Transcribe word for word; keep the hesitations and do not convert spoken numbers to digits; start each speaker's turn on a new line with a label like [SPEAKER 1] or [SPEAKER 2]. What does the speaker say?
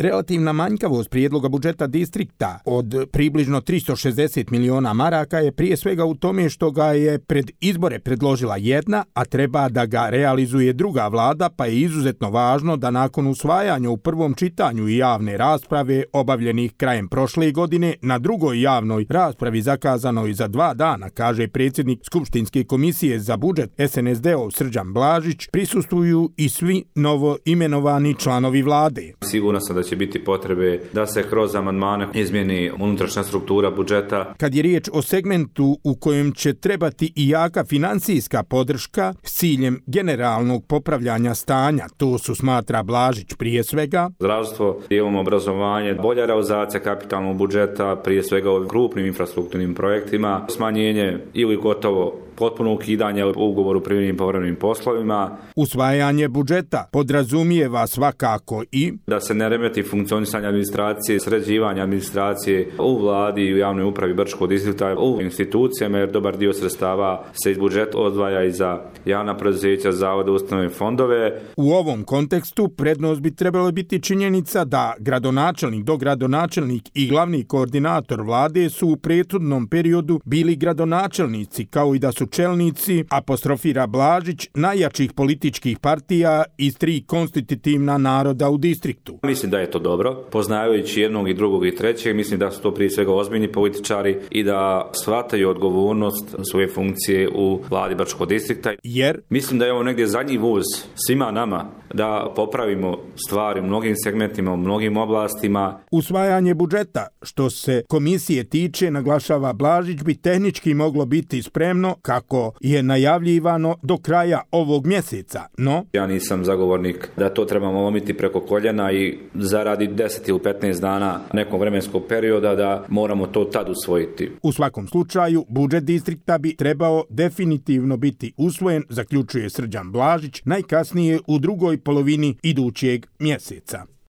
[SPEAKER 1] Relativna manjkavost prijedloga budžeta distrikta od približno tristo šezdeset miliona maraka je prije svega u tome što ga je pred izbore predložila jedna, a treba da ga realizuje druga vlada, pa je izuzetno važno da nakon usvajanja u prvom čitanju i javne rasprave obavljenih krajem prošle godine na drugoj javnoj raspravi zakazanoj za dva dana, kaže predsjednik Skupštinske komisije za budžet S N S D-ov Srđan Blažić, prisustvuju i svi novo imenovani članovi vlade.
[SPEAKER 2] Sigurno sam da će biti potrebe da se kroz amandmane izmijeni unutrašnja struktura budžeta.
[SPEAKER 1] Kad je riječ o segmentu u kojem će trebati i jaka financijska podrška s ciljem generalnog popravljanja stanja, to su, smatra Blažić, prije svega
[SPEAKER 2] zdravstvo, imamo obrazovanje, bolja realizacija kapitalnog budžeta, prije svega u krupnim infrastrukturnim projektima, smanjenje ili gotovo potpuno ukidanje ugovoru o privremenim i povremenim poslovima.
[SPEAKER 1] Usvajanje budžeta podrazumijeva svakako i
[SPEAKER 2] da se ne remeti funkcionisanje administracije, sređivanje administracije u vladi i u javnoj upravi Brčkog distrikta, u institucijama, jer dobar dio sredstava se iz budžeta odvaja i za javna preduzeća, zavode, ustanove, fondove.
[SPEAKER 1] U ovom kontekstu prednost bi trebalo biti činjenica da gradonačelnik, dogradonačelnik i glavni koordinator vlade su u prethodnom periodu bili gradonačelnici, kao i da su čelnici, apostrofira Blažić, najjačih političkih partija iz tri konstitutivna naroda u distriktu.
[SPEAKER 2] Mislim da je to dobro. Poznavajući jednog i drugog i trećeg, mislim da su to prije svega ozbiljni političari i da shvataju odgovornost svoje funkcije u vladi Brčkog distrikta.
[SPEAKER 1] Jer
[SPEAKER 2] mislim da je ovo negdje zadnji vuz svima nama da popravimo stvari u mnogim segmentima, u mnogim oblastima.
[SPEAKER 1] Usvajanje budžeta, što se komisije tiče, naglašava Blažić, bi tehnički moglo biti spremno, kako je najavljivano, do kraja ovog mjeseca, no
[SPEAKER 2] ja nisam zagovornik da to trebamo lomiti preko koljena i zaradi deset ili petnaest dana nekog vremenskog perioda da moramo to tad usvojiti.
[SPEAKER 1] U svakom slučaju, budžet distrikta bi trebao definitivno biti usvojen, zaključuje Srđan Blažić, najkasnije u drugoj polovini idućeg mjeseca.